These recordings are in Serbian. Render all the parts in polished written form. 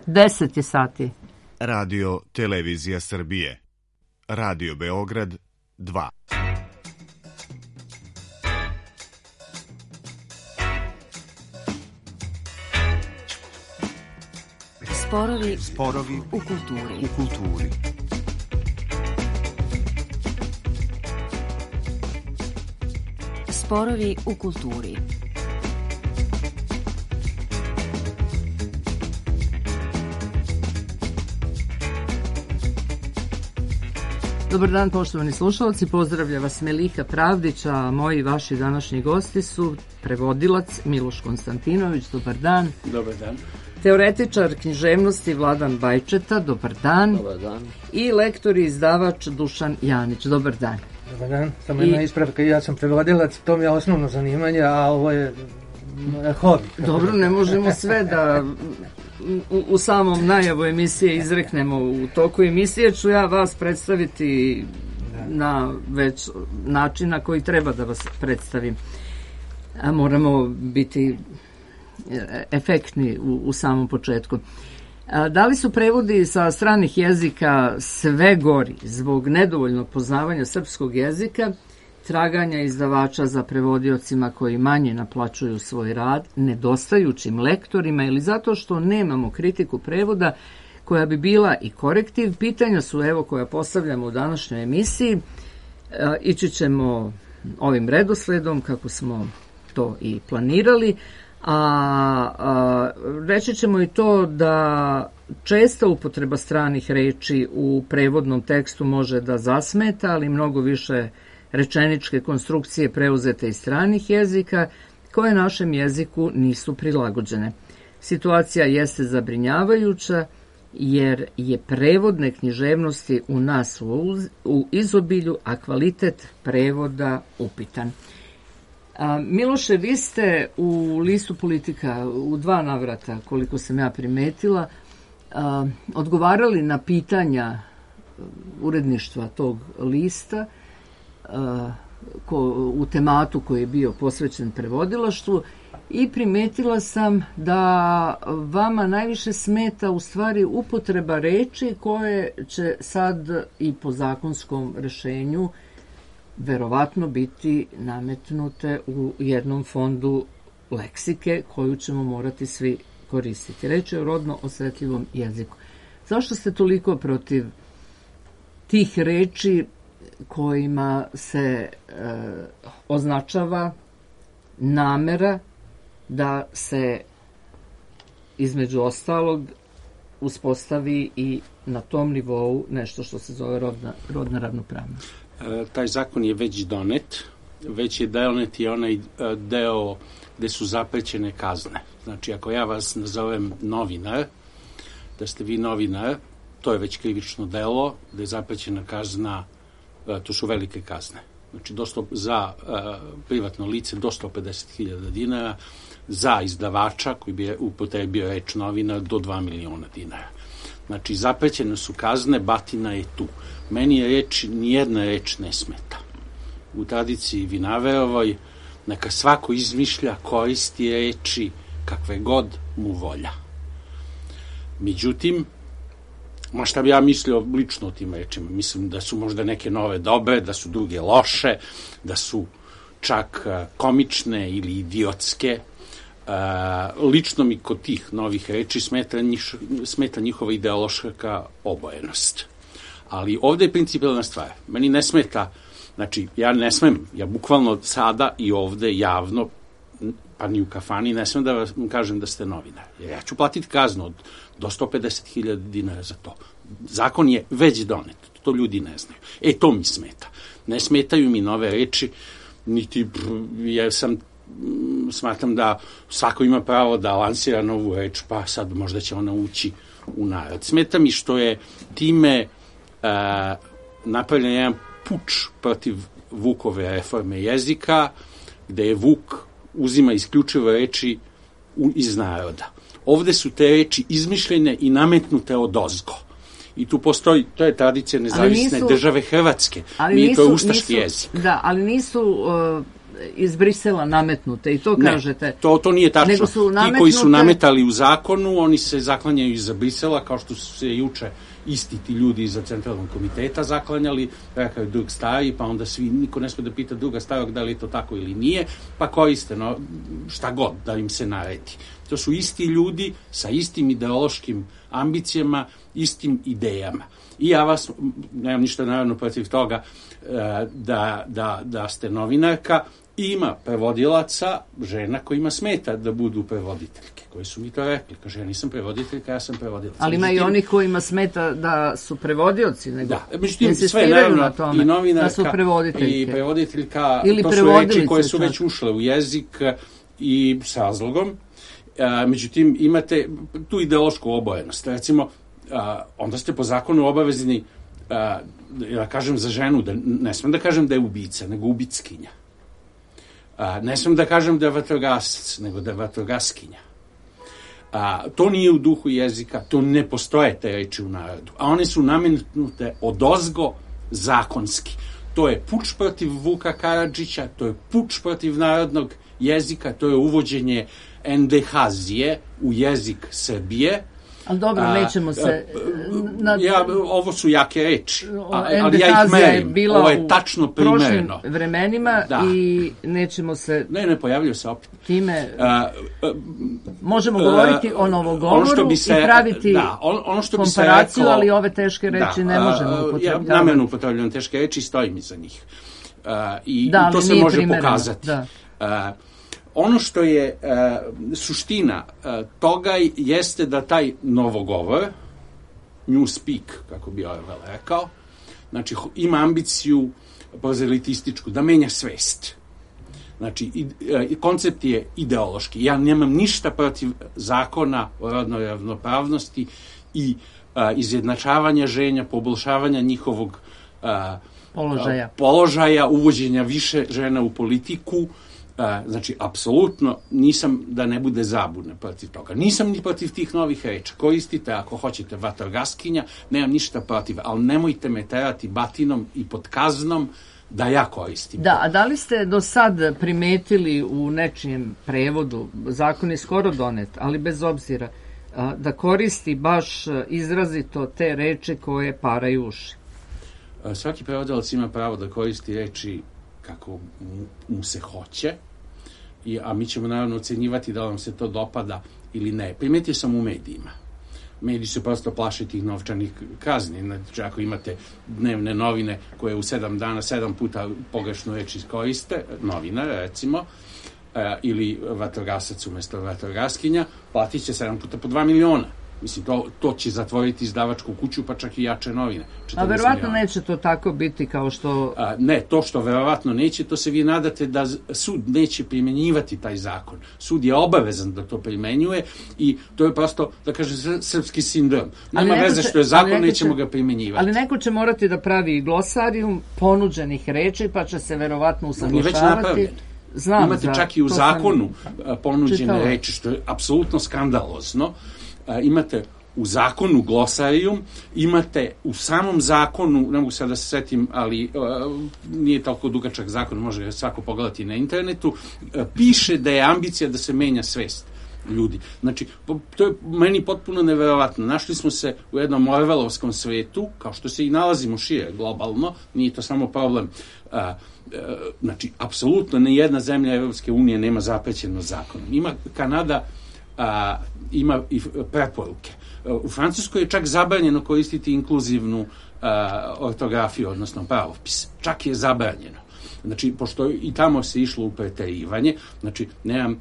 10 je sati. Radio Televizija Srbije. Radio Beograd 2. Sporovi u kulturi. Sporovi u kulturi. Dobar dan, poštovani slušalci, pozdravlja vas Melika Pravdić, a moji vaši današnji gosti su prevodilac Miloš Konstantinović, dobar dan. Dobar dan. Teoretičar književnosti Vladan Bajčeta, dobar dan. Dobar dan. I lektor i izdavač Dušan Janić, dobar dan. Dobar dan, samo jedna ispravka, ja sam prevodilac, to mi je osnovno zanimanje, a ovo je hobi. Dobro, ne možemo sve da u samom najavu emisije izreknemo. U toku emisije ću ja vas predstaviti na već način na koji treba da vas predstavim. A moramo biti efektni u samom početku. Da li su prevodi sa stranih jezika sve gori zbog nedovoljnog poznavanja srpskog jezika, traganja izdavača za prevodiocima koji manje naplaćuju svoj rad, nedostajućim lektorima ili zato što nemamo kritiku prevoda koja bi bila i korektiv? Pitanja su evo koja postavljamo u današnjoj emisiji. Ići ćemo ovim redosledom kako smo to i planirali, a reći ćemo i to da česta upotreba stranih reči u prevodnom tekstu može da zasmeta, ali mnogo više rečeničke konstrukcije preuzete iz stranih jezika koje našem jeziku nisu prilagođene. Situacija jeste zabrinjavajuća jer je prevodne književnosti u nas u izobilju, a kvalitet prevoda upitan. Miloše, vi ste u listu Politika u 2 navrata, koliko sam ja primetila, odgovarali na pitanja uredništva tog lista u tematu koji je bio posvećen prevodilaštvu i primetila sam da vama najviše smeta u stvari upotreba reči koje će sad i po zakonskom rešenju verovatno biti nametnute u jednom fondu leksike koju ćemo morati svi koristiti. Reč je o rodno osetljivom jeziku. Zašto ste toliko protiv tih reči kojima se označava namera da se između ostalog uspostavi i na tom nivou nešto što se zove rodna ravnopravnost? Taj zakon je već donet, već je donet i onaj deo gde su zaprećene kazne. Znači, ako ja vas nazovem novinar, da ste vi novinar, to je već krivično delo, gde je zaprećena kazna, to su velike kazne. Znači, za privatno lice do 150.000 dinara, za izdavača koji bi upotrebio reč novinar do 2 miliona dinara. Znači, zaprećene su kazne, batina je tu. Meni je reč, nijedna reč ne smeta. U tradiciji Vinaverovoj neka svako izmišlja, koristi reči kakve god mu volja. Međutim, šta bi ja mislio lično o tim rečima? Mislim da su možda neke nove dobre, da su druge loše, da su čak komične ili idiotske. Lično mi kod tih novih reči smeta njihova ideološka obojenost. Ali ovde je principijelna stvar. Meni ne smeta, znači ja ne smem, ja bukvalno sada i ovde javno, pa ni u kafani, ne smem da vam kažem da ste novinar. Jer ja ću platiti kaznu do 150.000 dinara za to. Zakon je već donet, to ljudi ne znaju. To mi smeta. Ne smetaju mi nove reči, niti jer smatram da svako ima pravo da lansira novu reč, pa sad možda će ona ući u narod. Smeta mi što je time napravljen jedan puč protiv Vukove reforme jezika, gde je Vuk uzima isključivo reči iz naroda. Ovde su te reči izmišljene i nametnute odozgo. I tu postoji, to je tradicija nezavisne države Hrvatske. To je ustaški jezik. Da, ali nisu iz Brisela nametnute i to kažete. Ne, to nije tačno. Nego su nametnute... Ti koji su nametali u zakonu, oni se zaklanjaju iza Brisela, kao što su se juče isti ti ljudi iza centralnog komiteta zaklanjali, rekao je drug stari, pa onda niko ne smije da pita druga starog da li je to tako ili nije, pa koriste šta god da im se naredi. To su isti ljudi sa istim ideološkim ambicijama, istim idejama. I ja vas, nemam ništa naravno protiv toga da ste novinarka, ima prevodilaca, žena kojima smeta da budu prevoditeljke, koji su mi to rekli. Kaže, ja nisam prevoditeljka, ja sam prevodilac. Ali ima i onih kojima smeta da su prevodioci, nego da, međutim, sve naravno, na tome, i novinarka, da su prevoditeljke. I prevoditeljka, ili to su reči koje su već ušle u jezik i s razlogom. Međutim, imate tu ideološku obojenost. Recimo, onda ste po zakonu obavezni, ja kažem za ženu, ne smem da kažem da je ubica, nego ubickinja. Ne smem da kažem da je vatrogasac, nego da je vatrogaskinja. To nije u duhu jezika, to ne postoje te reči u narodu. A one su nametnute odozgo zakonski. To je puč protiv Vuka Karadžića, to je puč protiv narodnog jezika, to je uvođenje endehazije u jezik Srbije. Ali dobro, nećemo se... Ovo su jake reči, ali ja ih merim. Ovo je tačno primereno. Prošlim vremenima i nećemo se... Ne pojavljaju se opet. Time možemo govoriti o novogovoru i praviti komparaciju, ali ove teške reči ne možemo upotrebljavati. Ja namerno upotrebljam teške reči i stojim iza njih. I to se može pokazati. Ono što je suština toga jeste da taj novogovor, newspeak, kako bi Orwell rekao, znači ima ambiciju prozelitističku, da menja svest. Znači, koncept je ideološki. Ja nemam ništa protiv zakona o rodnoj ravnopravnosti i izjednačavanja žena, poboljšavanja njihovog položaja, uvođenja više žena u politiku. Znači, apsolutno nisam da ne bude zabune protiv toga. Nisam ni protiv tih novih reča. Koristite, ako hoćete, vatrogaskinja, nemam ništa protiv, ali nemojte me terati batinom i pod kaznom da ja koristim. Da, a da li ste do sad primetili u nečijem prevodu, zakon je skoro donet, ali bez obzira, da koristi baš izrazito te reči koje paraju uši? Svaki prevodilac ima pravo da koristi reči kako mu se hoće, a mi ćemo naravno ocenjivati da vam se to dopada ili ne. Primetio sam u medijima. Mediji su prosto plaše tih novčanih kazni. Znači, ako imate dnevne novine koje u 7 dana 7 puta pogrešnu reč iskoriste, novinar recimo, ili vatrogasac umesto vatrogaskinja, platit će 7 puta po 2 miliona. Mislim, to će zatvoriti izdavačku kuću, pa čak i jače novine. A verovatno neće to tako biti kao što... Ne, to što verovatno neće, to se vi nadate da sud neće primjenjivati taj zakon. Sud je obavezan da to primenjuje i to je prosto, da kažem, srpski sindrom. Nema veze što je zakon, nećemo ga primenjivati. Ali neko će morati da pravi glosarijum ponuđenih reči, pa će se verovatno usaglašavati. Već napravljen. Imate čak i u zakonu ponuđene reči, što je apsolutno skandalozno. Imate u zakonu glosarijum, imate u samom zakonu, ne mogu sad da se setim, ali nije toliko dugačak zakon, može svako pogledati na internetu, piše da je ambicija da se menja svest ljudi. Znači, to je meni potpuno neverovatno. Našli smo se u jednom orvelovskom svetu, kao što se i nalazimo šire globalno, nije to samo problem. Znači, apsolutno nijedna zemlja Evropske unije nema zaprećeno zakonom. Ima Kanada, ima i preporuke. U Francuskoj je čak zabranjeno koristiti inkluzivnu ortografiju, odnosno pravopis. Čak je zabranjeno. Znači, pošto i tamo se išlo u preterivanje, znači, nemam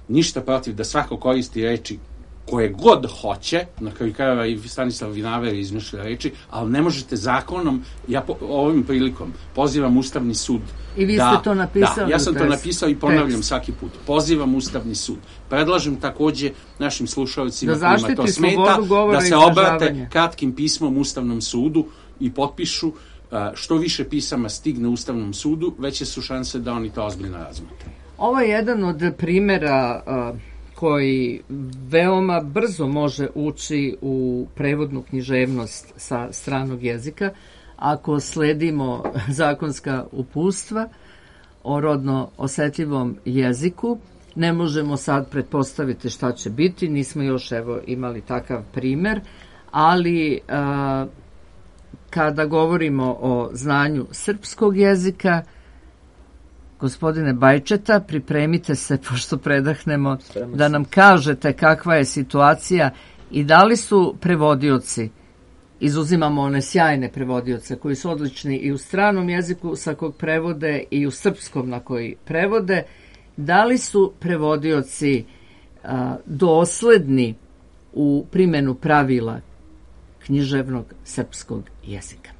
ništa protiv da svako koristi reči koje god hoće, na kraju krajeva i Stanislav Vinaver izmišlja reči, ali ne možete zakonom, ja ovim prilikom pozivam Ustavni sud. I vi ste to napisali? Da, ja sam to napisao i ponavljam svaki put. Pozivam Ustavni sud. Predlažem takođe našim slušalcima kojima to smeta, da se obrate kratkim pismom Ustavnom sudu i potpišu. Što više pisama stigne Ustavnom sudu, veće su šanse da oni to ozbiljno razmotre. Ovo je jedan od primera koji veoma brzo može ući u prevodnu književnost sa stranog jezika ako sledimo zakonska uputstva. o rodno osetljivom jeziku. Ne možemo sad pretpostaviti šta će biti, nismo još imali takav primer, ali kada govorimo o znanju srpskog jezika, gospodine Bajčeta, pripremite se, pošto predahnemo, da nam kažete kakva je situacija i da li su prevodioci, izuzimamo one sjajne prevodioce koji su odlični i u stranom jeziku sa kog prevode i u srpskom na koji prevode, da li su prevodioci dosledni u primjenu pravila književnog srpskog jezika?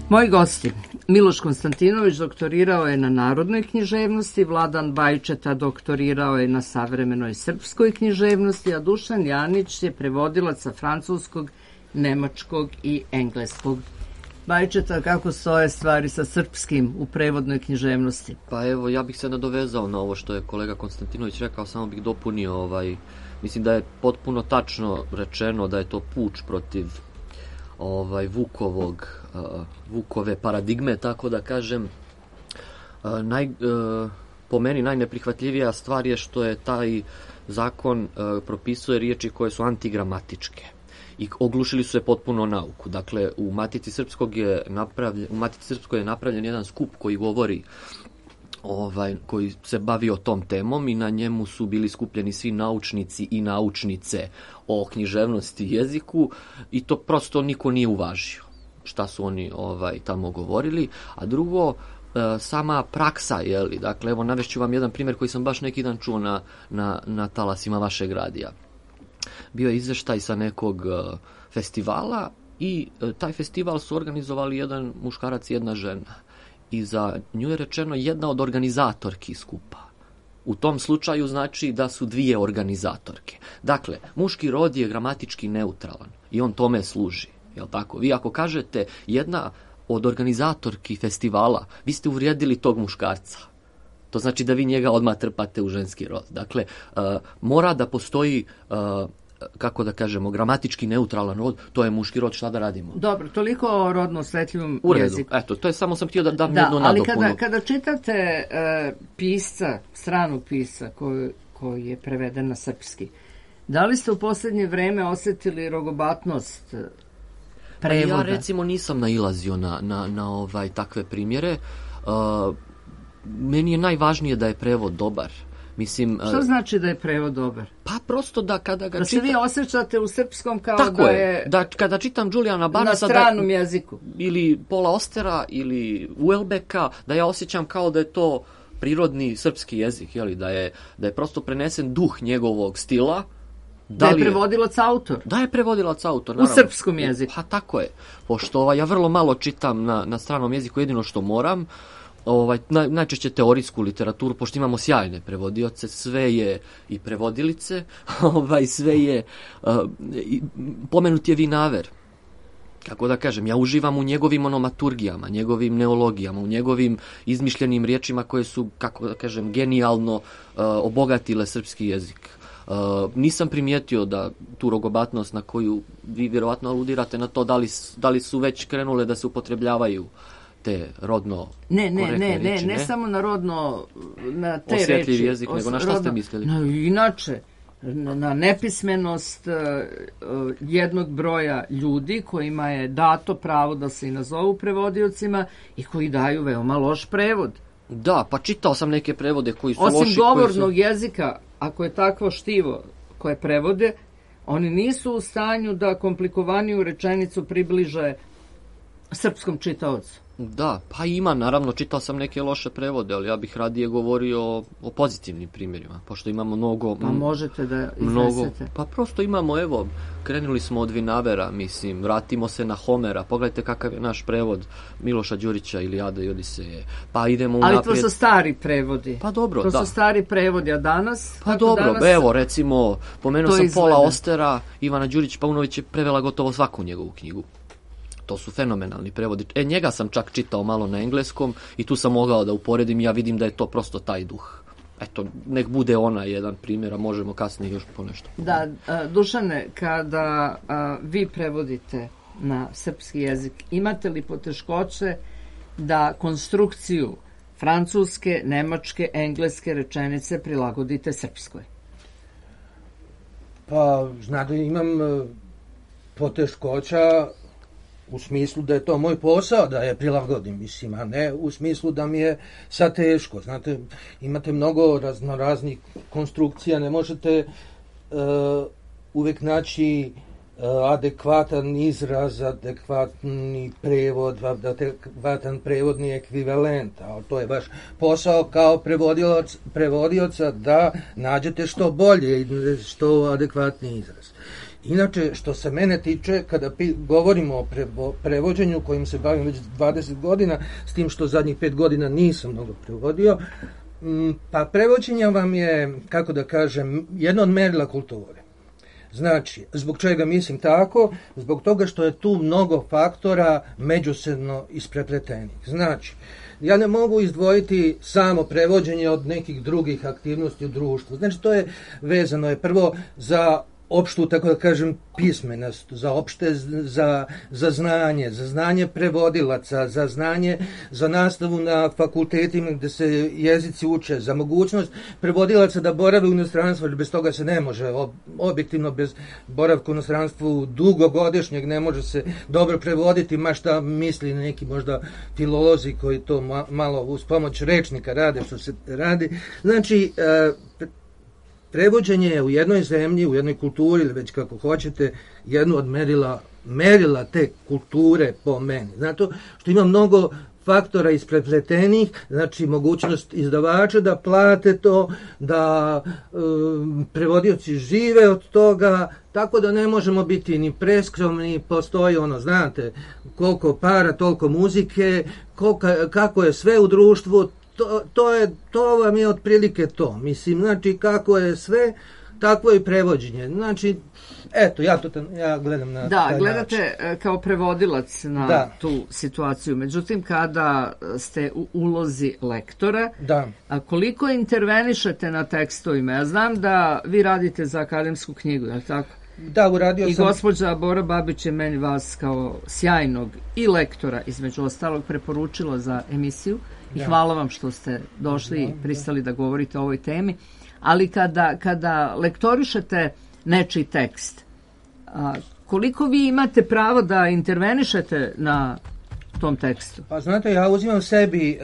Moji gosti, Miloš Konstantinović doktorirao je na narodnoj književnosti, Vladan Bajčeta doktorirao je na savremenoj srpskoj književnosti, a Dušan Janić je prevodilac sa francuskog, nemačkog i engleskog. Bajčeta, kako stoje stvari sa srpskim u prevodnoj književnosti? Pa evo, ja bih se nadovezao na ovo što je kolega Konstantinović rekao, samo bih dopunio, mislim da je potpuno tačno rečeno da je to puč protiv Vukove paradigme, tako da kažem. Po meni najneprihvatljivija stvar je što je taj zakon propisuje riječi koje su antigramatičke i oglušili su se potpuno nauku. Dakle, u Matici Srpskoj je napravljen jedan skup koji govori, koji se bavio tom temom i na njemu su bili skupljeni svi naučnici i naučnice o književnosti i jeziku i to prosto niko nije uvažio šta su oni tamo govorili. A drugo, sama praksa, dakle, evo navešću vam jedan primjer koji sam baš neki dan čuo na talasima vašeg radija. Bio je izveštaj sa nekog festivala i taj festival su organizovali jedan muškarac i jedna žena. I za nju je rečeno jedna od organizatorki skupa. U tom slučaju znači da su dvije organizatorke. Dakle, muški rod je gramatički neutralan i on tome služi. Jel tako? Vi ako kažete jedna od organizatorki festivala, vi ste uvrijedili tog muškarca. To znači da vi njega odmah trpate u ženski rod. Dakle, mora da postoji kako da kažemo, gramatički neutralan rod, to je muški rod, šta da radimo? Dobro, toliko o rodno osetljivom U redu, jeziku. eto, to je samo sam htio da dam jednu nadopunu. Ali kada čitate pisca, stranog pisca koji je preveden na srpski, da li ste u posljednje vreme osetili rogobatnost prevoda? Ja recimo nisam nailazio na takve primjere. Meni je najvažnije da je prevod dobar. Mislim, što znači da je prevod dobar? Pa prosto da kada ga da se vi osjećate u srpskom kao tako da je. Da kada čitam Julijana Barnesa na stranom jeziku. Ili Paula Austera ili Houellebecqa, da ja osjećam kao da je to prirodni srpski jezik, jeli, da je prosto prenesen duh njegovog stila. Da je prevodilac autor. Da je prevodilac autor, naravno. U srpskom jeziku. Pa tako je. Pošto ja vrlo malo čitam na stranom jeziku, jedino što moram, najčešće teorijsku literaturu, pošto imamo sjajne prevodioce, sve je i prevodilice, sve je, pomenut je Vinaver. Kako da kažem, ja uživam u njegovim onomaturgijama, njegovim neologijama, u njegovim izmišljenim riječima koje su, kako da kažem, genijalno obogatile srpski jezik. Nisam primijetio da tu rogobatnost na koju vi vjerovatno aludirate na to, da li su već krenule da se upotrebljavaju te rodno korektne riječi, ne samo na rodno, na te osjetljiv reči, jezik, nego na šta ste mislili? Inače, na nepismenost jednog broja ljudi kojima je dato pravo da se i nazovu prevodiocima i koji daju veoma loš prevod. Da, pa čitao sam neke prevode koji su loši. Osim govornog jezika, ako je takvo štivo koje prevode, oni nisu u stanju da komplikovaniju rečenicu približe srpskom čitaocu. Da, pa ima, naravno, čitao sam neke loše prevode, ali ja bih radije govorio o pozitivnim primjerima, pošto imamo mnogo... Pa možete da iznesete. Pa prosto imamo, evo, krenuli smo od Vinavera, mislim, vratimo se na Homera, pogledajte kakav je naš prevod Miloša Đurića, Ilijada i Odiseje, pa idemo unaprijed... Ali to su stari prevodi. Pa dobro, to su stari prevodi, a danas... Pa dobro, danas evo, recimo, pomenuo sam Paula Austera, Ivana Đurić-Paunović je prevela gotovo svaku njegovu knjigu. To su fenomenalni prevodi. Njega sam čak čitao malo na engleskom i tu sam mogao da uporedim, ja vidim da je to prosto taj duh. Eto, nek bude ona jedan primjer, a možemo kasnije još ponešto. Da, Dušane, kada vi prevodite na srpski jezik, imate li poteškoće da konstrukciju francuske, nemačke, engleske rečenice prilagodite srpskoj? Pa, znate, imam poteškoća u smislu da je to moj posao da je prilagodim, mislim, a ne u smislu da mi je sad teško. Znate, imate mnogo raznoraznih konstrukcija, ne možete uvek naći adekvatan izraz, adekvatni prevod, adekvatan prevodni ekvivalent, ali to je baš posao kao prevodioca da nađete što bolje i što adekvatni izraz. Inače, što se mene tiče, kada govorimo o prevođenju kojim se bavim već 20 godina, s tim što zadnjih 5 godina nisam mnogo prevodio, pa prevođenje vam je, kako da kažem, jedno od merila kulture. Znači, zbog čega mislim tako? Zbog toga što je tu mnogo faktora međusobno isprepletenih. Znači, ja ne mogu izdvojiti samo prevođenje od nekih drugih aktivnosti u društvu. Znači, to je vezano je prvo za opštu, tako da kažem, pismenost, za znanje prevodilaca, za znanje, za nastavu na fakultetima gde se jezici uče, za mogućnost prevodilaca da borave u inostranstvu, jer bez toga se ne može, objektivno bez boravka u inostranstvu dugogodišnjeg ne može se dobro prevoditi, ma šta misli neki možda filolozi koji to malo uz pomoć rečnika rade što se radi. Znači, prevođenje je u jednoj zemlji, u jednoj kulturi ili već kako hoćete, jedno od merila te kulture po meni. Zato što ima mnogo faktora isprepletenih, znači mogućnost izdavača da plate to, da prevodioci žive od toga, tako da ne možemo biti ni preskromni, postoji znate, koliko para, toliko muzike, kako je sve u društvu, to vam je otprilike to. Mislim, znači, kako je sve, takvo je prevođenje. Znači, eto, ja gledam na taj način. Gledate kao prevodilac na tu situaciju. Međutim, kada ste u ulozi lektora, a koliko intervenišete na tekstovima? Ja znam da vi radite za akademsku knjigu, je li tako? Da, uradio I sam... gospođa Bora Babić je meni vas kao sjajnog i lektora, između ostalog, preporučila za emisiju i hvala vam što ste došli i pristali da govorite o ovoj temi. Ali kada lektorišete nečiji tekst, koliko vi imate pravo da intervenišete na tom tekstu? Pa znate, ja uzimam sebi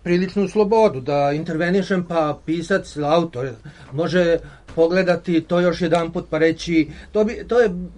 priličnu slobodu da intervenišem, pa pisac, autor može pogledati to još jedan put pa reći,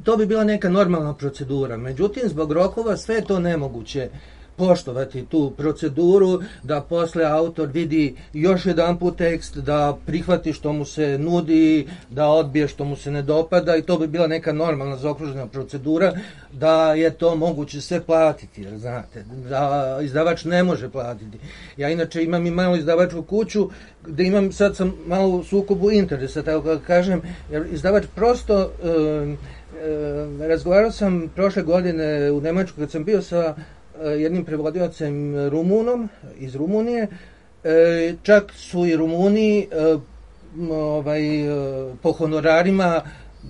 to bi bila neka normalna procedura. Međutim, zbog rokova sve je to nemoguće poštovati tu proceduru, da posle autor vidi još jedan put tekst, da prihvati što mu se nudi, da odbije što mu se ne dopada, i to bi bila neka normalna zaokružena procedura, da je to moguće sve platiti, jer znate, da izdavač ne može platiti. Ja inače imam i malu izdavačku kuću, gde sad sam malo u sukobu interesa, tako da kažem, jer izdavač prosto, razgovarao sam prošle godine u Nemačkoj kad sam bio sa jednim prevodiocem Rumunom iz Rumunije, čak su i Rumuni po honorarima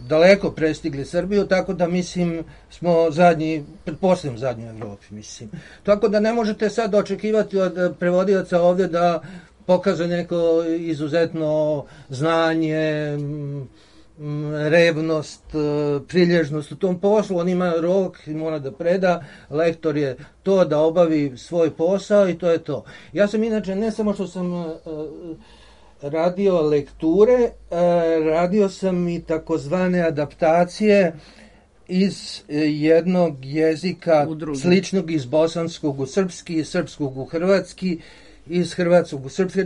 daleko prestigli Srbiju, tako da mislim smo zadnji, pretpostavljam zadnji u Evropi, mislim. Tako da ne možete sad očekivati od prevodioca ovdje da pokaže neko izuzetno znanje, revnost, prilježnost u tom poslu. On ima rok i mora da preda, lektor je to da obavi svoj posao i to je to. Ja sam inače, ne samo što sam radio lekture, radio sam i takozvane adaptacije iz jednog jezika sličnog iz bosanskog u srpski, iz srpskog u hrvatski, iz hrvatskog u srpski,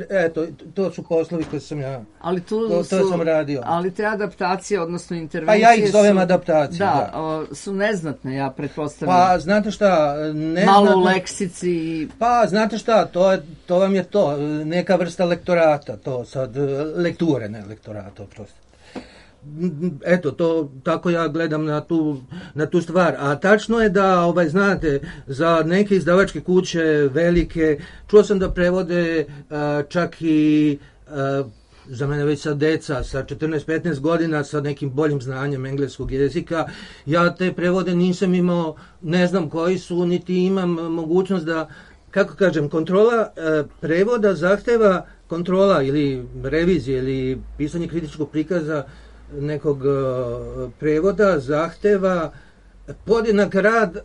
to su poslovi koje sam ja, to sam radio. Ali te adaptacije, odnosno intervencije... Pa ja ih zovem adaptacije, da. Su neznatne, ja pretpostavljam. Pa, znate šta, neznatne... Malo u leksici... Pa, znate šta, to vam je to, neka vrsta lektorata, to sad, lekture, ne lektorata, oprosti. Eto, to tako ja gledam na tu stvar. A tačno je da, znate, za neke izdavačke kuće velike, čuo sam da prevode čak i za mene već sad deca sa 14-15 godina sa nekim boljim znanjem engleskog jezika. Ja te prevode nisam imao, ne znam koji su, niti imam mogućnost da, kako kažem, kontrola prevoda zahteva, kontrola ili revizije ili pisanje kritičkog prikaza nekog prevoda zahteva podjednak rad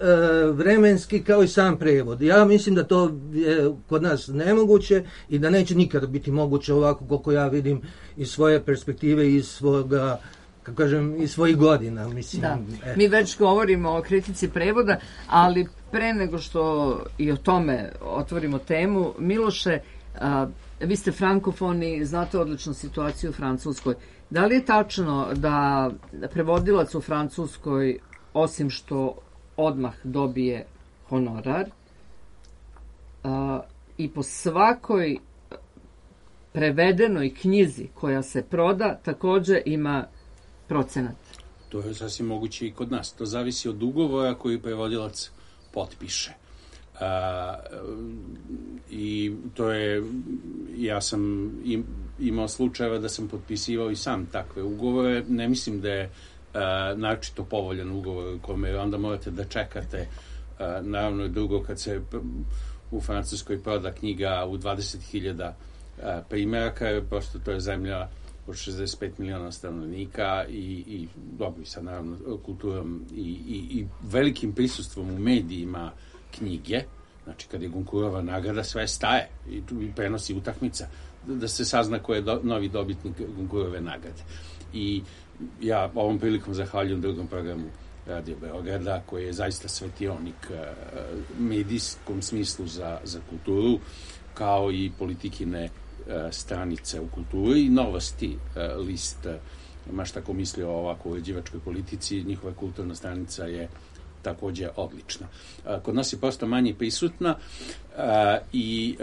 vremenski kao i sam prevod. Ja mislim da to je kod nas nemoguće i da neće nikada biti moguće ovako koliko ja vidim iz svoje perspektive, iz svoga, kako kažem, iz svojih godina. Mislim, da. Mi već govorimo o kritici prevoda, ali pre nego što i o tome otvorimo temu, Miloše, vi ste frankofoni, znate odličnu situaciju u Francuskoj. Da li je tačno da prevodilac u Francuskoj, osim što odmah dobije honorar, i po svakoj prevedenoj knjizi koja se proda također ima procenat? To je sasvim moguće i kod nas. To zavisi od ugovora koji prevodilac potpiše. I to je, ja sam imao slučajeva da sam potpisivao i sam takve ugovore. Ne mislim da je naročito povoljan ugovor u kome onda morate da čekate. Naravno je drugo kad se u Francuskoj proda knjiga u 20.000 primjeraka, jer prosto to je zemlja od 65 miliona stanovnika i dobro, i sad naravno kulturom i velikim prisustvom u medijima knjige. Znači, kad je Goncourtova nagrada, sve staje i prenosi utakmica da se sazna ko je novi dobitnik Goncourtove nagrade. I ja ovom prilikom zahvaljujem drugom programu Radio Beograda, koji je zaista svetionik medijskom smislu za kulturu, kao i politikine stranice u kulturi i Novosti, list, maš tako misli o ovako uređivačkoj politici, njihova kulturna stranica je također odlična. Kod nas je prosto manje prisutna i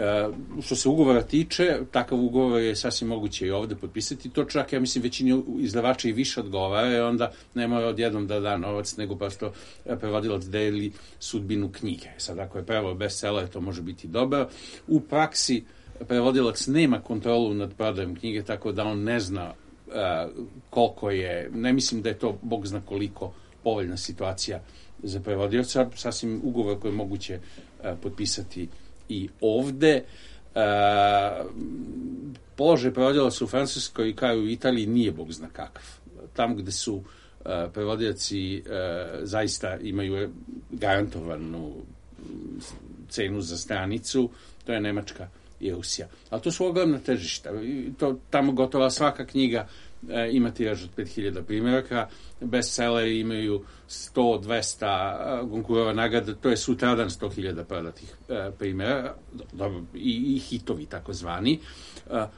što se ugovora tiče, takav ugovor je sasvim moguće i ovdje potpisati. To čak, ja mislim, većini izdavača i više odgovara, jer onda ne mora odjednom da da novac, nego prosto prevodilac deli sudbinu knjige. Sad, ako je prevod bestseller, to može biti dobro. U praksi prevodilac nema kontrolu nad prodajom knjige, tako da on ne zna koliko je, ne mislim da je to bog zna koliko povoljna situacija za prevodioca, sasvim ugovor koji je moguće potpisati i ovde. Položaj prevodilaca u Francuskoj kao i u Italiji nije bog zna kakav. Tamo gde su prevodioci zaista imaju garantovanu cenu za stranicu, to je Nemačka i Rusija. Ali to su ogromna tržišta. Tamo gotova svaka knjiga ima tiraž od 5000 primjeraka, bestselleri imaju 100-200 Goncourtova nagrada, to je sutradan 100.000 prodatih primjera, i hitovi takozvani.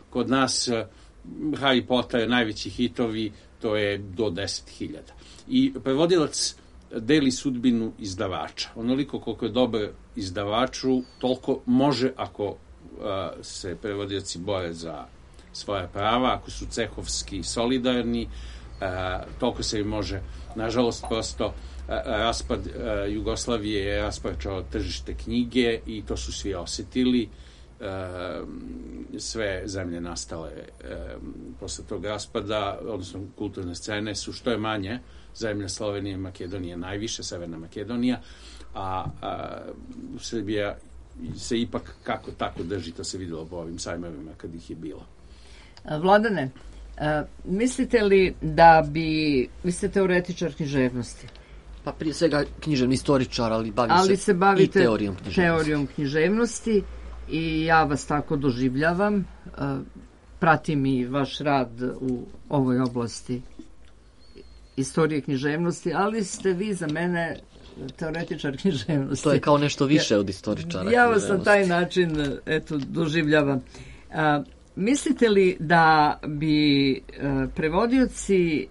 Kod nas Harry Potter, najveći hitovi, to je do 10.000. I prevodilac deli sudbinu izdavača. Onoliko koliko je dobar izdavaču, toliko može, ako se prevodioci bore za svoja prava, ako su cehovski solidarni, toliko se i može. Nažalost, prosto raspad Jugoslavije je rasparčao tržište knjige i to su svi osetili. Sve zemlje nastale posle tog raspada, odnosno kulturne scene su što je manje, zemlja Slovenije i Makedonije najviše, Severna Makedonija, a Srbija se ipak kako tako drži, to se videlo po ovim sajmovima kad ih je bilo. Vladane, mislite li da vi ste teoretičar književnosti? Pa prije svega književni istoričar, ali se bavite i teorijom književnosti i ja vas tako doživljavam. Pratim i vaš rad u ovoj oblasti istorije književnosti, ali ste vi za mene teoretičar književnosti. To je kao nešto više od istoričara. Ja vas na taj način doživljavam. Mislite li da bi prevodioci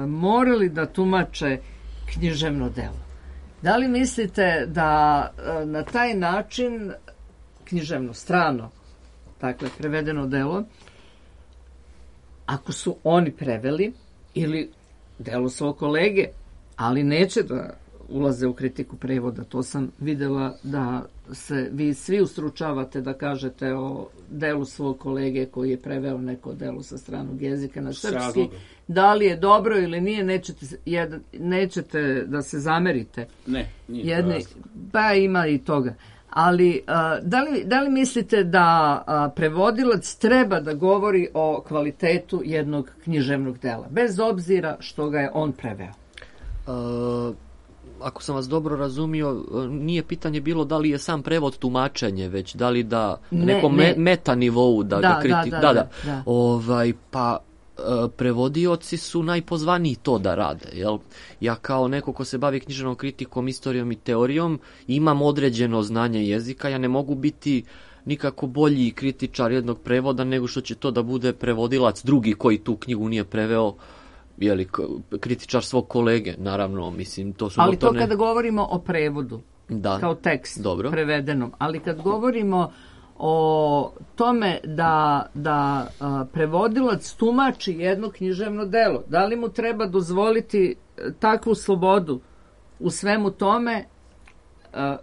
morali da tumače književno delo? Da li mislite da na taj način književno, strano, dakle, prevedeno delo, ako su oni preveli ili delo svog kolege, ali neće da ulaze u kritiku prevoda, to sam videla da se vi svi ustručavate da kažete o delu svog kolege koji je preveo neko delo sa stranog jezika na srpski, da li je dobro ili nije, nećete da se zamerite. Ne, nije pa ima i toga. Ali da li mislite da prevodilac treba da govori o kvalitetu jednog književnog dela, bez obzira što ga je on preveo? Ako sam vas dobro razumio, nije pitanje bilo da li je sam prevod tumačenje, već da li da nekom meta nivou da ga kritikuje. Pa prevodioci su najpozvaniji to da rade. Jel? Ja kao neko ko se bavi književnom kritikom, istorijom i teorijom, imam određeno znanje jezika, ja ne mogu biti nikako bolji kritičar jednog prevoda nego što će to da bude prevodilac drugi koji tu knjigu nije preveo, jeli, kritičar svog kolege, naravno, mislim, to su... Ali to kada govorimo o prevodu, kao tekst prevedenom, ali kad govorimo o tome da prevodilac tumači jedno književno delo, da li mu treba dozvoliti takvu slobodu u svemu tome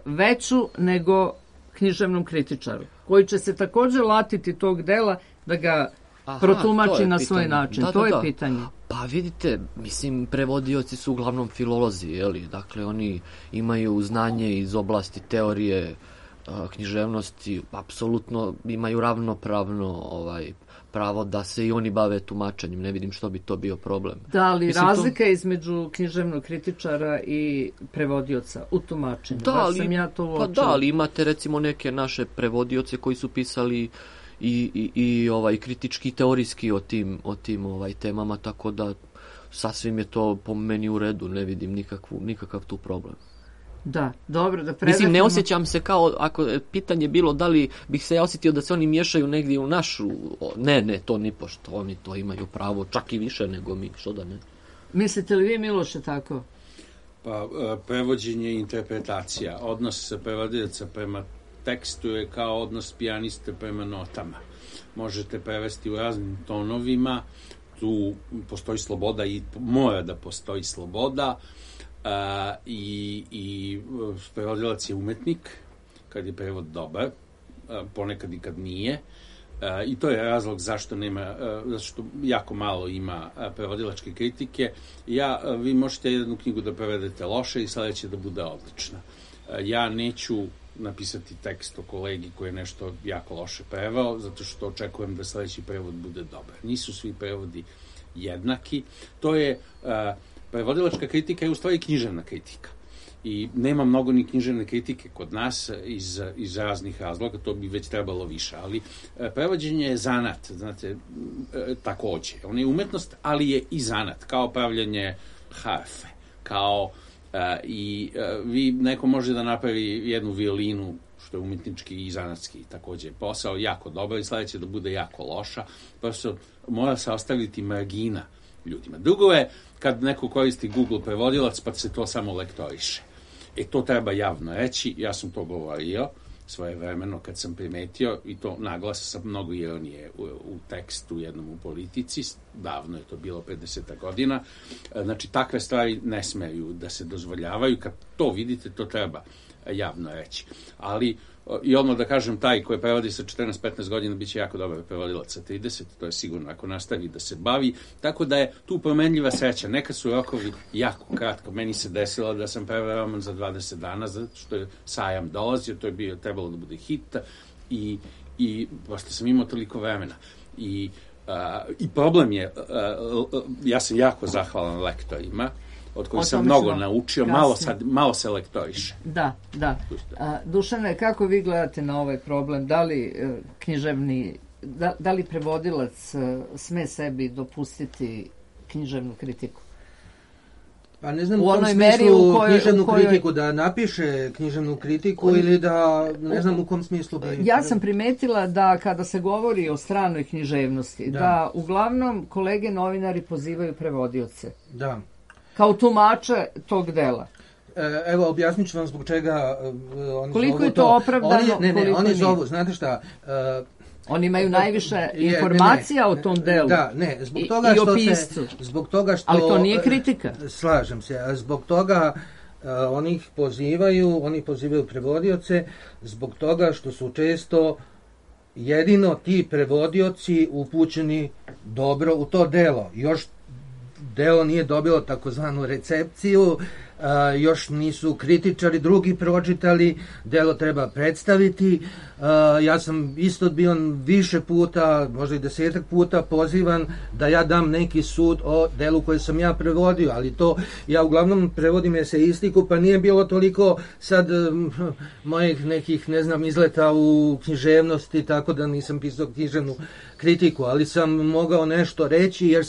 veću nego književnom kritičaru, koji će se također latiti tog dela da ga protumači na svoj način. To je pitanje. Pa vidite, mislim, prevodioci su uglavnom filolozi, jeli? Dakle, oni imaju znanje iz oblasti teorije književnosti, apsolutno imaju ravnopravno pravo da se i oni bave tumačenjem. Ne vidim što bi to bio problem. Da li razlika između književnog kritičara i prevodioca u tumačenju? Ali imate recimo neke naše prevodioce koji su pisali i kritički i teorijski o tim temama, tako da sasvim je to po meni u redu, ne vidim nikakav tu problem. Da, dobro, da predatimo. Mislim, ne osjećam se kao, ako je pitanje bilo da li bih se ja osjetio da se oni miješaju negdje u našu, ne, to ni pošto, oni to imaju pravo, čak i više nego mi, što da ne. Mislite li vi, Miloše, tako? Pa, prevođenje i interpretacija, odnos prevodioca prema tekstu je kao odnos pijaniste prema notama. Možete prevesti u raznim tonovima, tu postoji sloboda i mora da postoji sloboda, i prevodilac je umetnik kad je prevod dobar, ponekad i kad nije, I to je razlog zašto jako malo ima prevodilačke kritike. Vi možete jednu knjigu da prevedete loše i sledeće da bude odlična. Ja neću napisati tekst o kolegi koji je nešto jako loše preveo, zato što očekujem da sledeći prevod bude dobar. Nisu svi prevodi jednaki. To je, prevodilačka kritika je u stvari književna kritika. I nema mnogo ni književne kritike kod nas iz raznih razloga, to bi već trebalo više, ali prevođenje je zanat, znate, takođe. On je umetnost, ali je i zanat, kao pravljanje harfe, kao vi neko može da napravi jednu violinu, što je umetnički i zanatski takođe posao, jako dobro i sledeće da bude jako loša, prosto mora se ostaviti margina ljudima. Drugo je kad neko koristi Google prevodilac pa se to samo lektoriše. To treba javno reći, ja sam to govorio svojevremeno kad sam primetio i to naglas sa mnogo ironije u tekstu jednom u Politici, davno je to bilo 50 godina, znači takve stvari ne smeju da se dozvoljavaju, kad to vidite to treba javno reći, ali i odmah da kažem, taj koji prevodi sa 14-15 godina biće jako dobar prevodilac sa 30, to je sigurno ako nastavi da se bavi, tako da je tu promenljiva sreća. Neka su rokovi jako kratko, meni se desilo da sam preveo roman za 20 dana, zato što je sajam dolazio, to je trebalo da bude hit i prosto sam imao toliko vremena. I problem je, ja sam jako zahvalan lektorima, od kojih sam mnogo naučio, malo se lektoriše. Da. Dušane, kako vi gledate na ovaj problem? Da li da li prevodilac sme sebi dopustiti književnu kritiku? Pa ne znam u kom smislu književnu kritiku, da napiše književnu kritiku ili da, ne znam u kom smislu. Ja sam primetila da kada se govori o stranoj književnosti, da uglavnom kolege novinari pozivaju prevodioce. Da. Kao tumače tog dela. Evo, objasnit ću vam zbog čega oni koliko zovu je to opravdano? Oni zovu, znate šta... Oni imaju najviše informacija o tom delu. Da, zbog toga što zbog toga što... Ali to nije kritika. Slažem se, a zbog toga oni pozivaju prevodioce zbog toga što su često jedino ti prevodioci upućeni dobro u to delo. Još delo nije dobilo takozvanu recepciju, još nisu kritičari drugi pročitali, delo treba predstaviti. Ja sam isto bio više puta, možda i 10 puta pozivan da ja dam neki sud o delu koje sam ja prevodio, ali to ja uglavnom prevodim eseistiku, pa nije bilo toliko sad mojih nekih, ne znam, izleta u književnosti, tako da nisam pisao književnu kritiku, ali sam mogao nešto reći jer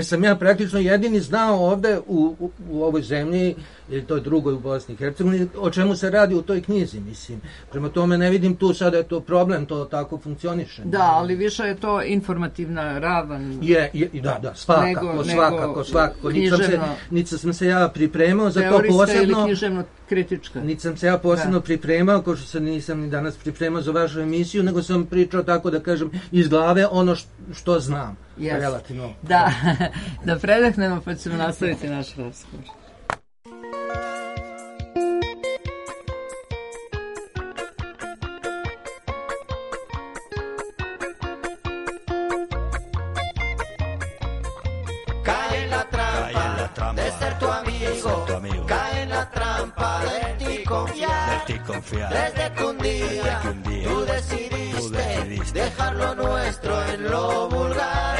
sam ja praktično jedini znao ovde u ovoj zemlji ili toj drugoj u Bosni i Hercegovini, o čemu se radi u toj knjizi, mislim. Prema tome ne vidim tu sada je to problem, to tako funkcioniše. Da, ali više je to informativna ravan. Da, svakako. Niti sam se ja pripremao za to posebno. Teorijska ili književno-kritička. Niti sam se ja posebno pripremao, kao što se nisam ni danas pripremao za vašu emisiju, nego sam pričao tako da kažem iz glave ono što znam. Relativno. Da predahnemo pa ćemo nastaviti naš razgovor. Desde que un día tú decidiste dejar lo nuestro en lo vulgar,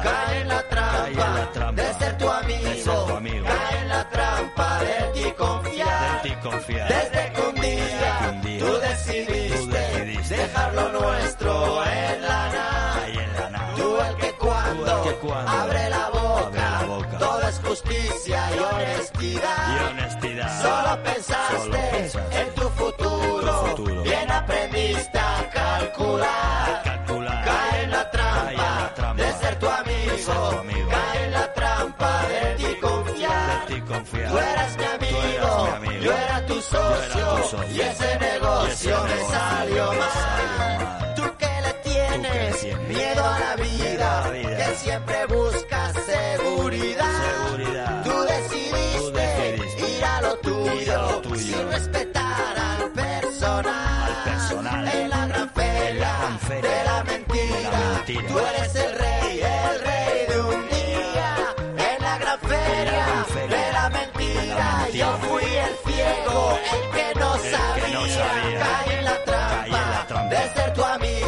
cae en la trampa de ser tu amigo, cae en la trampa de ti confiar. Desde que un día tú decidiste dejar lo nuestro en la nada, tú el que cuando abre la boca todo es justicia y honestidad. Solo pensaste en tu futuro, bien aprendiste a calcular. Cae en la trampa de ser tu amigo, cae en la trampa de ti confiar. Tú eras mi amigo, yo era tu socio, y ese negocio me salió mal. Tú que le tienes miedo a la vida, que siempre buscas seguridad. Tú decidiste ir a lo tuyo sin respetar al personal. En la gran feria mentira. Tú eres el rey de un día, en la gran feria de la mentira. Yo fui el ciego, el que no sabía. Caí en la trampa de ser tu amigo.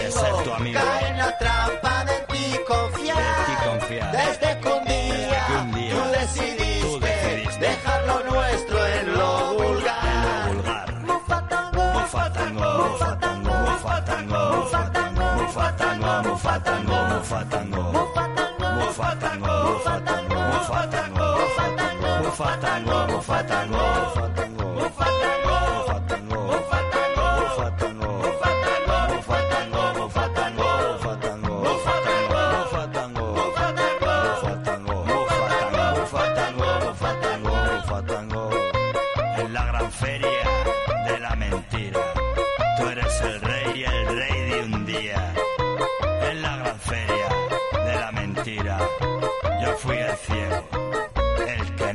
Caí en la trampa de ti confiar. Desde que un día tú decidiste dejar lo nuestro en lo vulgar. Mufatango, mufatango, mufatango, mufatango, mufatango, mufatango, mufatango, mufatango, mufatango, mufatango, mufatango, mufatango, mufatango,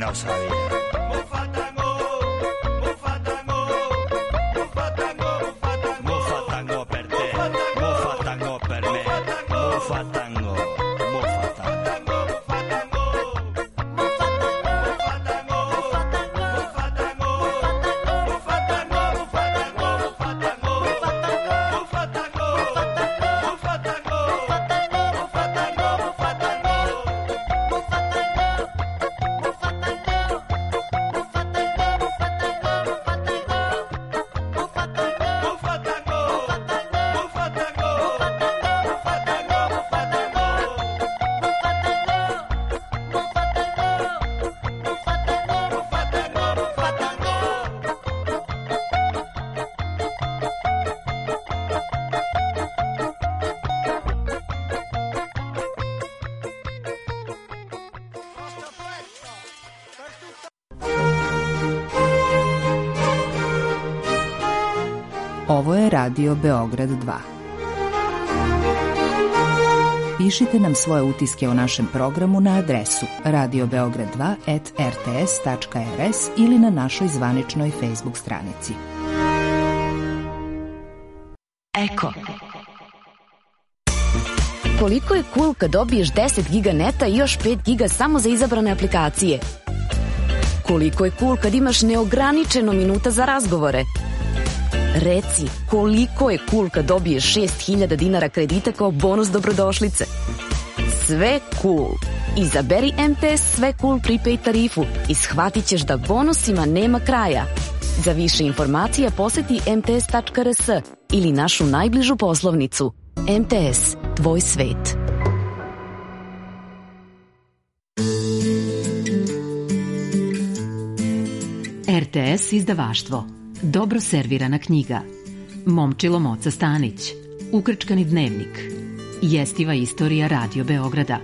no sabía. Mufatango, mufatango, mufatango, mufatango, mufatango per te, mufatango per me, mufatango, mufatango, Ovo je Radio Beograd 2. Pišite nam svoje utiske o našem programu na adresu radiobeograd2@rts.rs ili na našoj zvaničnoj Facebook stranici. Eko. Koliko je cool kad dobiješ 10 giga neta i još 5 giga samo za izabrane aplikacije? Koliko je cool kad imaš neograničeno minuta za razgovore? Reci, koliko je cool kad dobiješ 6.000 dinara kredita kao bonus dobrodošlice? Sve cool. Izaberi MTS Sve cool prepaid tarifu i shvatit ćeš da bonusima nema kraja. Za više informacija poseti mts.rs ili našu najbližu poslovnicu. MTS, tvoj svet. RTS izdavaštvo. Dobro servirana knjiga. Momčilo Moca Stanić. Ukrčkani dnevnik. Jestiva istorija Radio Beograda.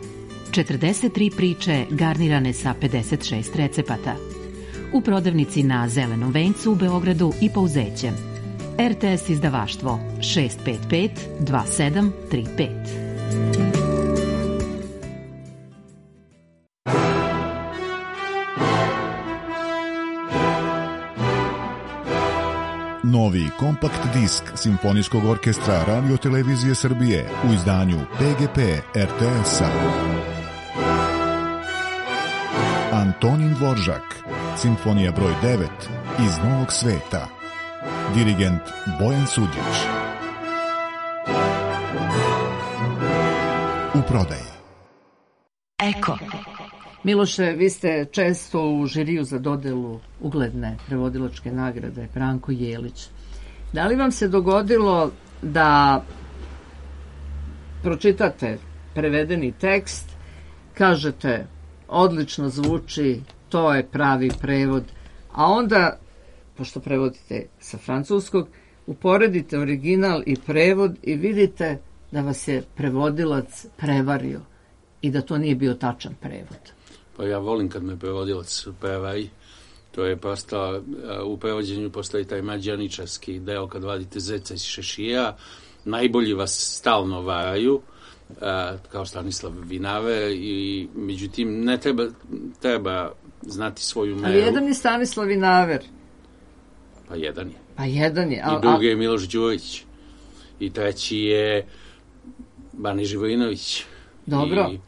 43 priče garnirane sa 56 recepata. U prodavnici na Zelenom vencu u Beogradu i Pouzećem. RTS izdavaštvo 655 2735. Novi kompakt disk Simfonijskog orkestra Radio Televizije Srbije u izdanju PGP RTS-a. Antonin Dvoržak, Simfonija broj 9 iz Novog sveta. Dirigent Bojan Suđić. U prodaji. Eko. Miloše, vi ste često u žiriju za dodelu ugledne prevodilačke nagrade Branko Jelić. Da li vam se dogodilo da pročitate prevedeni tekst, kažete odlično zvuči, to je pravi prevod, a onda, pošto prevodite sa francuskog, uporedite original i prevod i vidite da vas je prevodilac prevario i da to nije bio tačan prevod? Pa ja volim kad me prevodilac prevari. To je prosto, u prevođenju postoji taj mađioničarski deo kad vadite zeca iz šešira. Najbolji vas stalno varaju, kao Stanislav Vinaver, i međutim ne treba znati svoju meru. Ali jedan je Stanislav Vinaver. Pa jedan je. Pa jedan je. I drugi je Miloš Đurić. I treći je Bane Živojinović. Dobro. I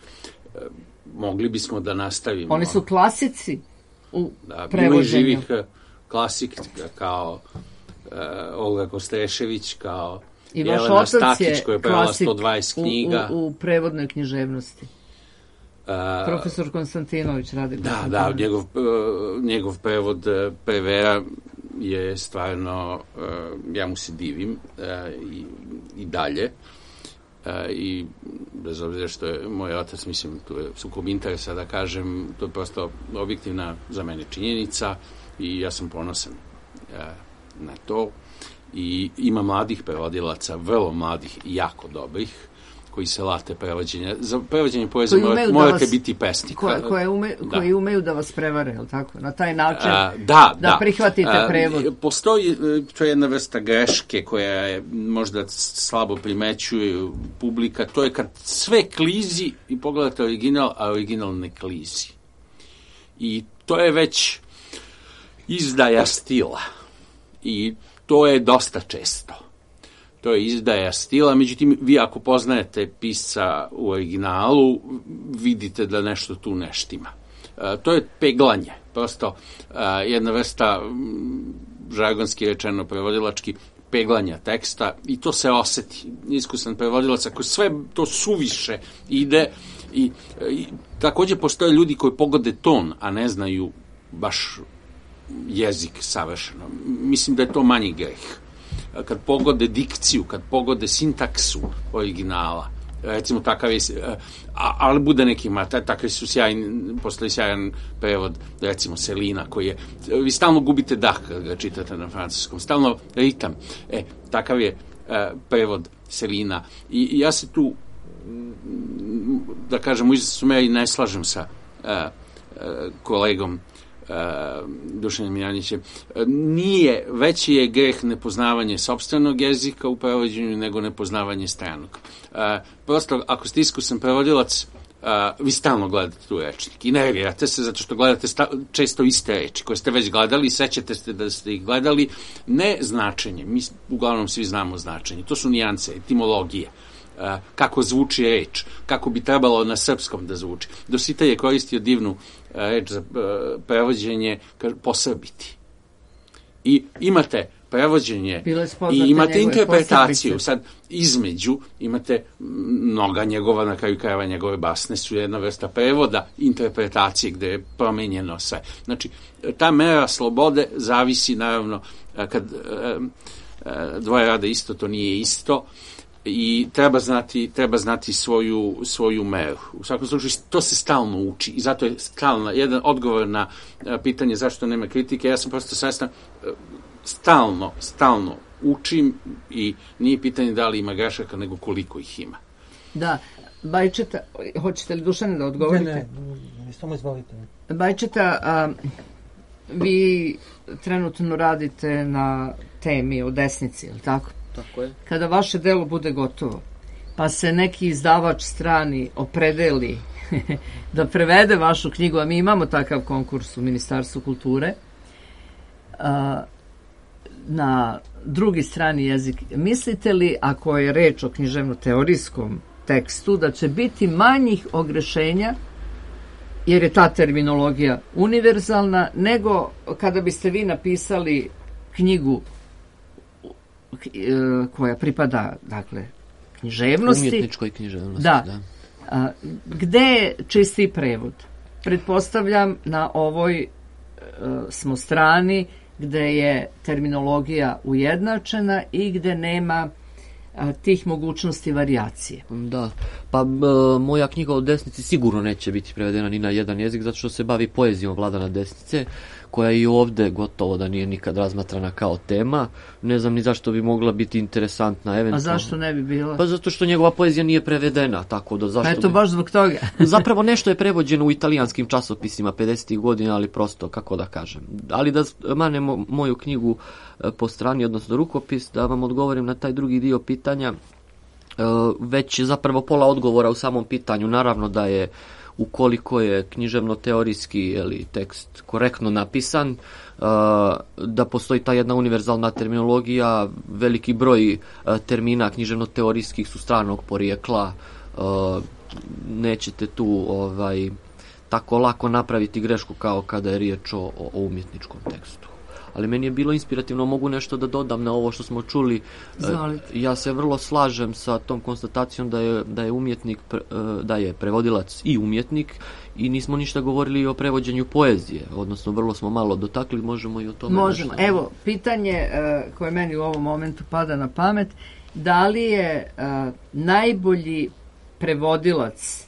mogli bismo da nastavimo. Oni su klasici u prevođenju. Ima i živih klasika kao Olga Kostešević, kao i vaš Jelena otac Stakić koja je prevela klasik 120 knjiga. U prevodnoj književnosti. Profesor Konstantinović radi. Da, njegov prevod Prevera je stvarno, ja mu se divim i dalje. I bez obzira što je moj otac, mislim, tu je sukob interesa da kažem, to je prosto objektivna za mene činjenica i ja sam ponosan na to. I ima mladih prevodilaca, vrlo mladih i jako dobrih, koji se late prevođenja. Za prevođenje poezije morate biti pesnik. Koji umeju da vas prevare, je li tako? Na taj način da prihvatite prevod. Postoji, to je jedna vrsta greške koja je možda slabo primećuje publika, to je kad sve klizi i pogledate original, a original ne klizi. I to je već izdaja stila. I to je dosta često. To je izdaja stila, međutim, vi ako poznajete pisca u originalu, vidite da nešto tu ne štima. To je peglanje, prosto jedna vrsta, žargonski rečeno prevodilački, peglanja teksta i to se oseti. Iskusan prevodilac, ako sve to suviše ide i takođe postoje ljudi koji pogode ton, a ne znaju baš jezik savršeno. Mislim da je to manji greh. Kad pogode dikciju, kad pogode sintaksu originala, recimo takav je, ali bude nekima, takav su postoji sjajan prevod, recimo Selina, koji je, vi stalno gubite dah kad ga čitate na francuskom, stalno ritam, takav je prevod Selina. I ja se tu, da kažem, u izvesnoj meri ne slažem sa kolegom Dušanom Janjićem. Veći je greh nepoznavanje sopstvenog jezika u prevođenju nego nepoznavanje stranog. Prosto, ako ste iskusan prevodilac, vi stalno gledate tu rečnik i nervirate se zato što gledate često iste reči koje ste već gledali, sećate se da ste ih gledali, ne značenje, mi uglavnom svi znamo značenje, to su nijance, etimologije, kako zvuči reč, kako bi trebalo na srpskom da zvuči. Dositej je koristio divnu reč za prevođenje, posrbiti. I imate prevođenje i imate interpretaciju. Sad, između imate mnoga njegova, na kraju krajeva njegove basne su jedna vrsta prevoda, interpretacije gde je promenjeno sve. Znači, ta mera slobode zavisi, naravno, kad dvoje rade isto, to nije isto, i treba znati svoju meru. U svakom slučaju, to se stalno uči i zato je stalno jedan odgovor na pitanje zašto nema kritike. Ja sam prosto svestan, stalno učim i nije pitanje da li ima grešaka, nego koliko ih ima. Da, Bajčeta, hoćete li Dušane da odgovorite? Ne, samo izvolite. Bajčeta, vi trenutno radite na temi o desnici, je li tako? Tako je. Kada vaše delo bude gotovo, pa se neki izdavač strani opredeli da prevede vašu knjigu, a mi imamo takav konkurs u Ministarstvu kulture, na drugi strani jezik, mislite li, ako je reč o književno-teorijskom tekstu, da će biti manjih ogrešenja, jer je ta terminologija univerzalna, nego kada biste vi napisali knjigu koja pripada, dakle, književnosti. Umjetničkoj književnosti, da. Gde je čisti prevod? Pretpostavljam na ovoj smo strani gde je terminologija ujednačena i gde nema tih mogućnosti varijacije. Da, pa moja knjiga o desnici sigurno neće biti prevedena ni na jedan jezik, zato što se bavi poezijom Vladana Desnice, koja i ovde gotovo da nije nikad razmatrana kao tema. Ne znam ni zašto bi mogla biti interesantna. Eventualno. A zašto ne bi bila? Pa zato što njegova poezija nije prevedena, tako da zašto... Pa eto, baš zbog toga. Zapravo nešto je prevođeno u italijanskim časopisima 50. godina, ali prosto, kako da kažem. Ali da manemo moju knjigu po strani, odnosno rukopis, da vam odgovorim na taj drugi dio pitanja, već zapravo pola odgovora u samom pitanju. Naravno da je ukoliko je književno-teorijski tekst korektno napisan, da postoji ta jedna univerzalna terminologija, veliki broj termina književno-teorijskih su stranog porijekla, nećete tu tako lako napraviti grešku kao kada je riječ o umjetničkom tekstu. Ali meni je bilo inspirativno, mogu nešto da dodam na ovo što smo čuli. Ja se vrlo slažem sa tom konstatacijom da je umjetnik, da je prevodilac i umjetnik, i nismo ništa govorili o prevođenju poezije, odnosno vrlo smo malo dotakli, možemo i o tome. Možemo. Evo, pitanje koje meni u ovom momentu pada na pamet, da li je najbolji prevodilac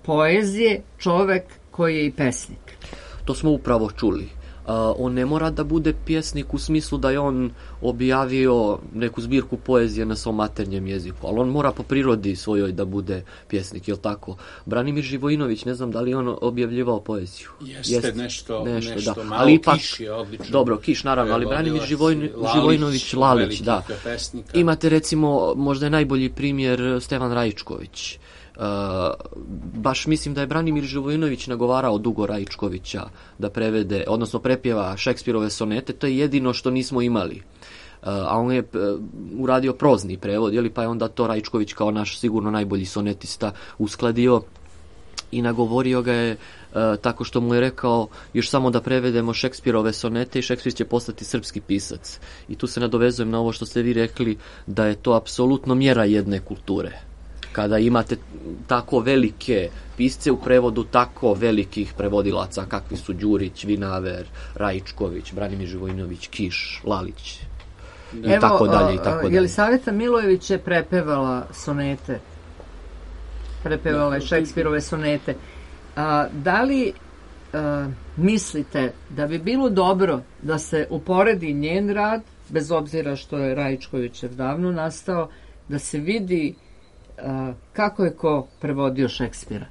poezije čovek koji je i pesnik? To smo upravo čuli. On ne mora da bude pjesnik u smislu da je on objavio neku zbirku poezije na svom maternjem jeziku, ali on mora po prirodi svojoj da bude pjesnik, je li tako? Branimir Živojinović, ne znam da li on objavljivao poeziju. Jeste nešto da. Malo, ali ipak, Kiš je odlično. Dobro, Kiš naravno, ali Branimir Živojinović, Lalić, da. Pesnika. Imate recimo, možda je najbolji primjer Stevan Raičković. Baš mislim da je Branimir Živojinović nagovarao Dugo Raičkovića da prevede, odnosno prepjeva Šekspirove sonete, to je jedino što nismo imali. A on je uradio prozni prevod, pa je onda to Raičković kao naš sigurno najbolji sonetista uskladio i nagovorio ga je tako što mu je rekao još samo da prevedemo Šekspirove sonete i Šekspir će postati srpski pisac. I tu se nadovezujem na ovo što ste vi rekli, da je to apsolutno mjera jedne kulture. Kada imate tako velike pisce u prevodu tako velikih prevodilaca kakvi su Đurić, Vinaver, Raičković, Branimir Živojinović, Kiš, Lalić i tako dalje. Jelisaveta Milojević je prepevala sonete. Prepevala je Šekspirove sonete. Da li mislite da bi bilo dobro da se uporedi njen rad, bez obzira što je Raičkovićev davno nastao, da se vidi kako je ko prevodio Šekspira?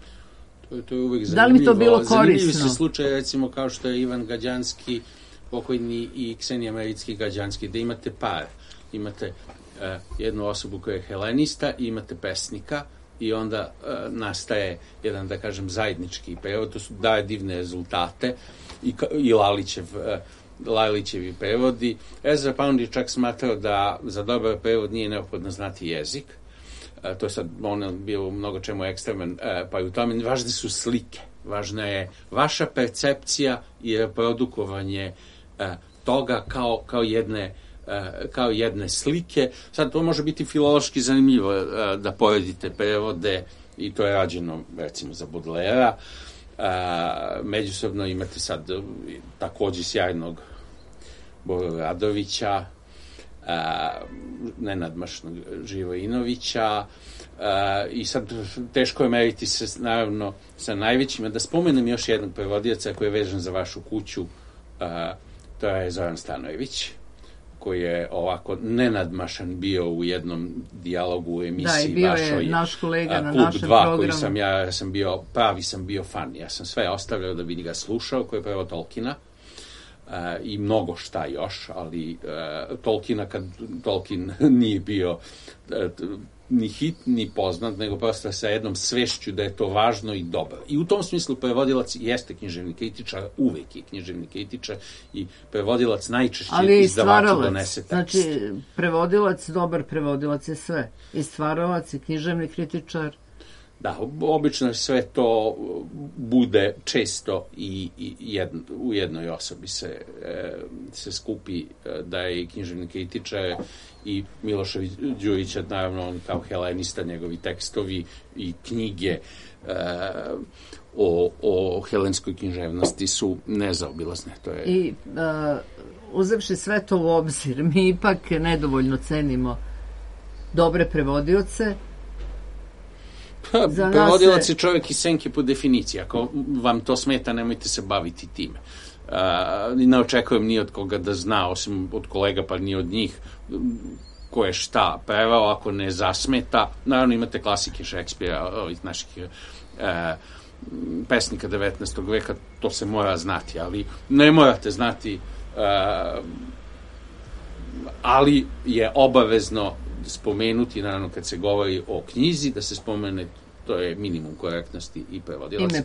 To je uvijek zanimljivo. Da li bi to bilo korisno? Zanimljivi su slučaj, recimo, kao što je Ivan Gađanski, pokojni, i Ksenija Mericki-Gađanski, da imate par. Imate jednu osobu koja je helenista i imate pesnika i onda nastaje jedan, da kažem, zajednički prevod. To daje divne rezultate i Lalićevi prevodi. Ezra Pound je čak smatrao da za dobar prevod nije neophodno znati jezik. To je sad bio mnogo čemu ekstreman, pa i u tome važne su slike, važna je vaša percepcija i reprodukovanje toga kao jedne slike. Sad to može biti filološki zanimljivo da poredite prevode, i to je rađeno recimo za Baudelaire. Međusobno imate sad također sjajnog Boru Radovića, nenadmašnog Živojinovića, i sad teško je meriti se naravno sa najvećima. Da spomenem još jednog prevodioca koji je vezan za vašu kuću, to je Zoran Stanojević, koji je ovako nenadmašan bio u jednom dijalogu u emisiji. Da, i bio je naš kolega na Klub našem 2, programu. koji sam bio fan. Ja sam sve ostavljao da bi ga slušao, koji je prevod Tolkiena. I mnogo šta još, ali Tolkiena, kad Tolkien nije bio ni hit, ni poznat, nego prosto sa jednom svešću da je to važno i dobro. I u tom smislu prevodilac jeste književni kritičar, uvek je književni kritičar, i prevodilac najčešće izdavaču donese tekst. Znači, prevodilac, dobar prevodilac je sve. I stvaralac, i književni kritičar. Da, obično sve to bude često i u jednoj osobi se skupi, da je književni kritičar, i Miloša Đurića, naravno, on kao helenista, njegovi tekstovi i knjige o helenskoj književnosti su nezaobilazne. I uzevši sve to u obzir, mi ipak nedovoljno cenimo dobre prevodioce. Prevodilac je čovjek iz senke po definiciji. Ako vam to smeta, nemojte se baviti time. Ne očekujem ni od koga da zna, osim od kolega, pa ni od njih, ko je šta preveo. Ako ne zasmeta, naravno imate klasike Šekspira, ovih naših pesnika 19. veka, to se mora znati, ali ne morate znati, ali je obavezno spomenuti, naravno, kad se govori o knjizi, da se spomene To je minimum korektnosti i prevodilaca. Ime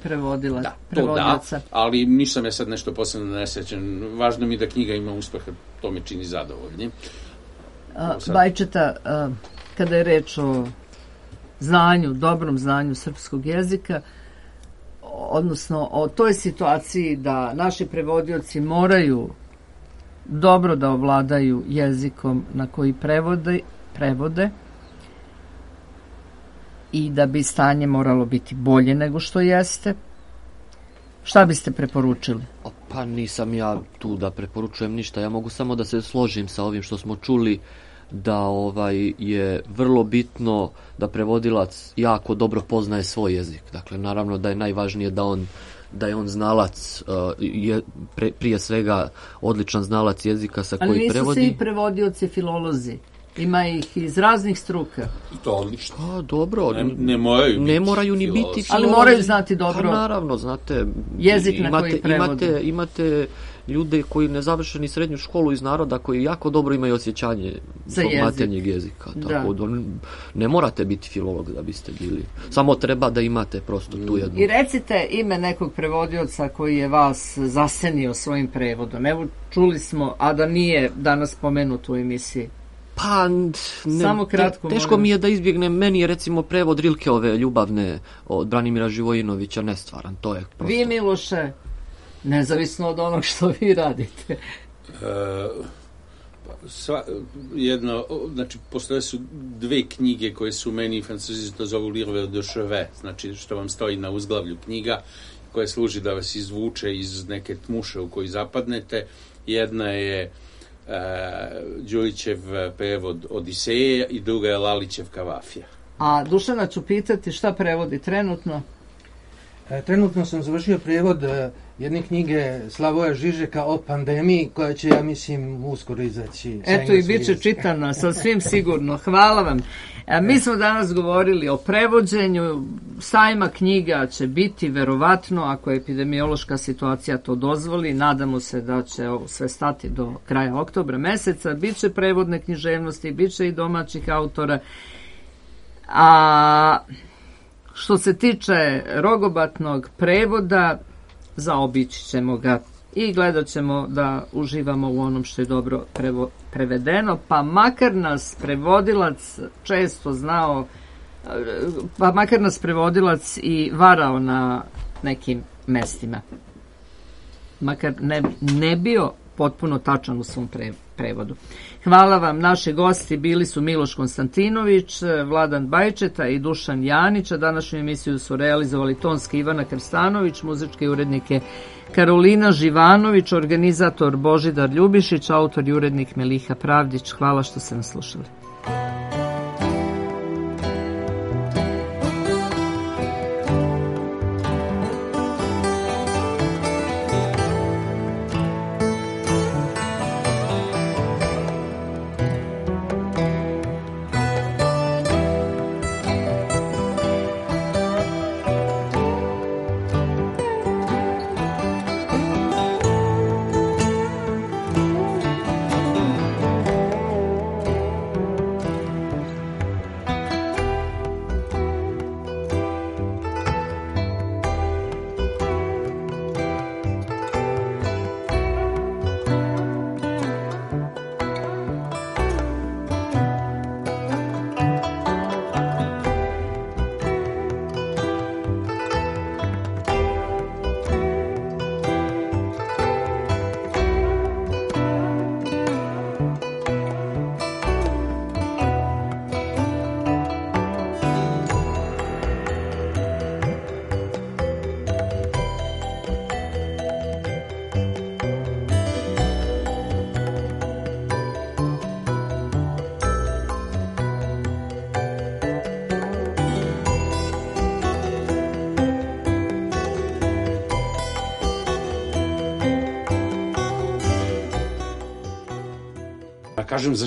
prevodilaca. Da, ali nisam ja sad nešto posebno nesrećan. Važno mi je da knjiga ima uspeha, to me čini zadovoljnim. Bajčeta, kada je reč o znanju, dobrom znanju srpskog jezika, odnosno o toj situaciji da naši prevodioci moraju dobro da ovladaju jezikom na koji prevode i da bi stanje moralo biti bolje nego što jeste. Šta biste preporučili? Pa nisam ja tu da preporučujem ništa, ja mogu samo da se složim sa ovim što smo čuli, da je vrlo bitno da prevodilac jako dobro poznaje svoj jezik. Dakle, naravno da je najvažnije da je on znalac, prije svega odličan znalac jezika sa koji prevodi. Ali nisu svi prevodioci filolozi. Ima ih iz raznih struka. To odlično. Pa dobro. Ne moraju ni biti filolozi. Ali moraju znati dobro. Pa naravno, znate. Jezik na koji prevode. Imate ljude koji ne završe ni srednju školu iz naroda, koji jako dobro imaju osjećanje svog maternjeg jezika. Tako da ne morate biti filolog da biste bili. Samo treba da imate prosto tu jednu. I recite ime nekog prevodioca koji je vas zasenio svojim prevodom. Evo, čuli smo, a da nije danas spomenut u emisiji. Pa, samo kratko, teško mi je da izbjegnem. Meni je recimo prevod Rilkeove Ljubavne od Branimira Živojinovića nestvaran. To je prosto. Vi, Miloše, nezavisno od onog što vi radite. Znači, postoje su dve knjige koje su meni, Francuzi to zovu Livre de chevet, znači što vam stoji na uzglavlju knjiga, koja služi da vas izvuče iz neke tmuše u koju zapadnete. Jedna je Đurićev prevod Odiseje i druga je Lalićev Kavafija. A Dušana ću pitati šta prevodi trenutno? Trenutno sam završio prevod jedne knjige Slavoja Žižeka o pandemiji, koja će, ja mislim, uskoro izaći. Eto, i bit će čitana, sasvim sigurno. Hvala vam. Mi smo danas govorili o prevođenju. Sajma knjiga će biti, verovatno, ako epidemiološka situacija to dozvoli. Nadamo se da će ovo sve stati do kraja oktobra meseca. Biće prevodne književnosti, biće i domaćih autora. A što se tiče rogobatnog prevoda, zaobići ćemo ga i gledat ćemo da uživamo u onom što je dobro prevedeno, pa makar nas prevodilac često znao, pa makar nas prevodilac i varao na nekim mestima. Makar ne bio potpuno tačan u svom prevodu. Hvala vam. Naši gosti bili su Miloš Konstantinović, Vladan Bajčeta i Dušan Janić, a današnju emisiju su realizovali tonski Ivana Krstanović, muzičke urednike Karolina Živanović, organizator Božidar Ljubišić, autor i urednik Meliha Pravdić. Hvala što ste nas slušali. Kažem za